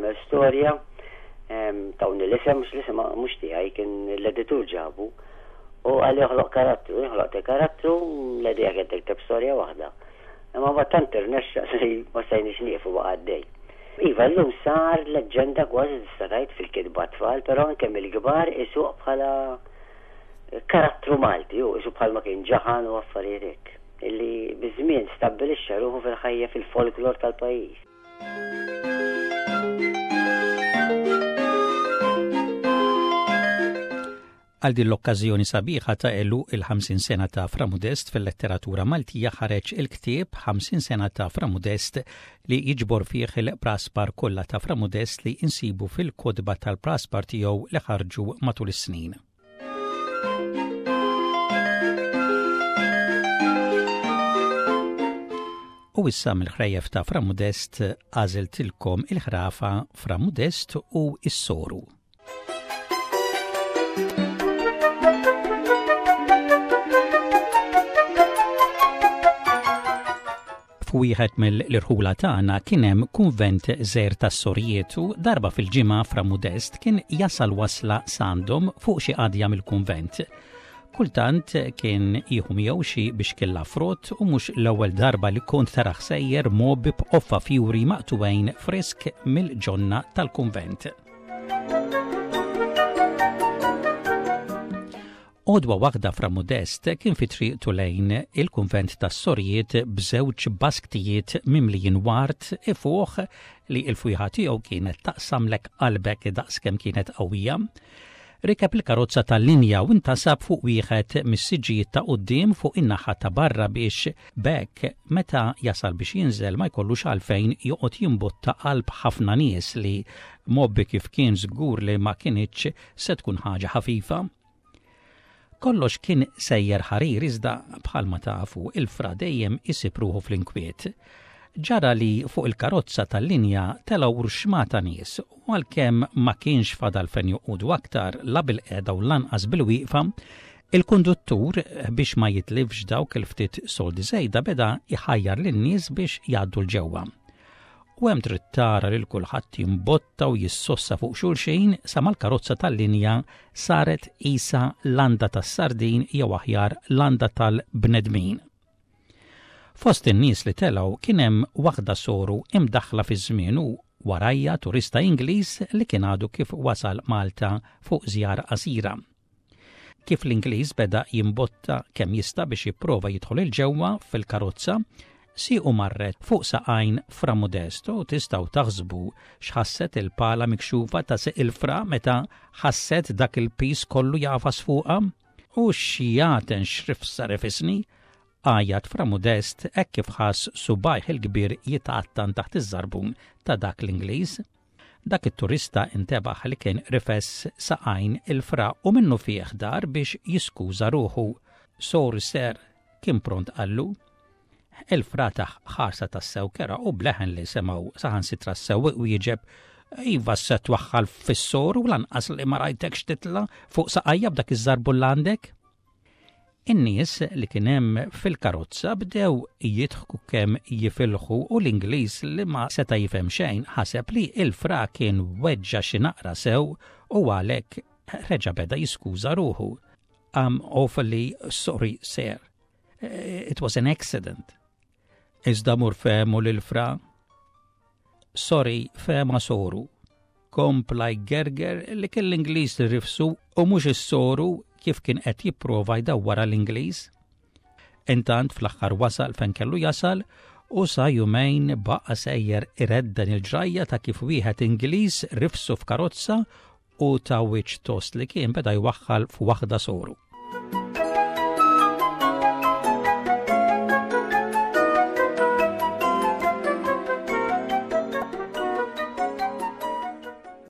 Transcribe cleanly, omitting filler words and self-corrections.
nagħmel storja, tawni l-isem, mhux l-isem mhux tiegħi kien l-editur ġabu. U qalli oħloq karattru, jien ħloqt il-karattru, l-idea kienet tikteb storja waħda. Imma mbagħad tant irnexxa li ma stajniex nieqfu baqa' għaddej. Iva, llum sar leġġenda kważi tista' tgħid fil-kitba tfal, però anke mill-kbar isuq bħala karattru Malti, hu isu bħalma kien Ġaħan u affarijiet hekk, illi biż-żmien stabbilixxa ruħu fil-ħajja fil-folklor tal-pajjiż. Għal din l-okkażjoni sabiħa ta' għeluq il-50 sena ta' Fra Mudest fil-letteratura Maltija ħareġ il-ktieb 50 sena ta' Fra Mudest li jiġbor fih il-praspar kollha ta' Fra Mudest li insibu fil-kotba tal-praspar tiegħu li ħarġu matul is-snin. U issa mill-ħrejjef ta' Fra Mudest għażiltilkom il-ħrafa Fra Mudest u s-Soru. F'wieħed mill-irħula tagħna kien hemm kunvent żgħir tas-sorijiet u darba fil-ġimgħa Fra Mudest kien jasal wasla s'għandhom fuq xi qadja mill-kunvent. Kultant kien jieħu miegħu xi bixkilla frott u mhux l-ewwel darba li kont taraħ sejjer mgħobbi b'qoffa fjuri maqtugħin frisk mill-ġonna tal-kunvent. Għodwa waħda Fra Modest kien fi triqtu lejn il-kunvent tas-sorijiet b'żewġ basktijiet mimlijin ward ifuħ li l-fwieħa tiegħu kienet taqsamlek qalbek daqskemm kienet qawwija. Rikeb il-karozza tal-linja u ntasab fuq wieħed mis-siġġijiet ta' quddiem fuq in-naħa ta' barra biex b'hekk meta jasal biex jinżel ma jkollux għalfejn joqgħod jimbotta qalb ħafna nies li mgħobbi kif kien żgur li ma kinitx se tkun ħaġa ħafifa. Kollox kien sejjer ħarir iżda bħalma tafu il-fra dejjem isib ruħu fl-inkwiet. Ġara li fuq il-karozza tal-linja telgħu rxmata nies u għalkemm ma kienx fadal fejn joqogħdu aktar la bilqiegħda u lanqas bilwieqfa, il-konduttur biex ma jitlifx dawk il-ftit soldi żejda beda jħajjar lin-nies biex jgħaddu 'l ġewwa. U hemm trid tara lil kulħadd jimbotta u jissossa fuq xulxin sa ma l-karozza tal-linja saret qisha landa tas-sardin jew aħjar landa tal-bnedmin. Fost in-nies li telgħu kien hemm waħda soru imdaħħla fiż-żmien u warajja turista Ingliż li kien għadu kif wasal Malta fuq żjara qasira. Kif l-Ingliż beda jimbotta kemm jista' biex jipprova jidħol 'il ġewwa fil-karozza, siequ marret fuq saqajn Fra Modest u tistgħu taħsbu x'ħasset il-pala mikxufa ta' sieq il-Fra meta ħasset dak il-piż kollu jagħfas fuqha. U x'jagħten x'rifsa refisni! għajjat Fra Modest hekk kif ħass subgħajh il-kbir jitgħattan taħt iż-żarbun ta' dak l-Ingliż. Dak it-turista intebaħ li kien rifes saqajn il-fra u minnufih dar biex jiskuża ruħu. Sorry sir, kien pront qallu. Il-fra tah ħarsa tassew kerha u b'leħen li semgħu saħansitra s-sewwieq wieġeb, Iva se twaħħal fis-soru lanqas li ma rajtekx titla' fuq saqajja b'dak iż-żarbun l għandek. In-nies li kien hemm fil-karozza bdew jidħku kemm jifilħu u l-Ingliż li ma seta' jifhem xejn ħaseb li l-fra kien weġġa' xi naqra sew u għalhekk reġa' beda jiskuża ruħu. I'm awfully sorry, sir. It was an accident. Iżda mur fehmu lil fra. Sorry, fehma soru. Kompla jgerger li kien l-Ingliż li rifsu u mhux is-soru kif kien qed jipprova jdawwarha l-Ingliż. Intant fl-aħħar wasal fejn kellu jasal u sa jumejn baqa' sejjer iredden il-ġrajja ta' kif wieħed Ingliż rifsu f'karozza u ta' wiċċ tost li kien beda jwaħħal f'waħda soru.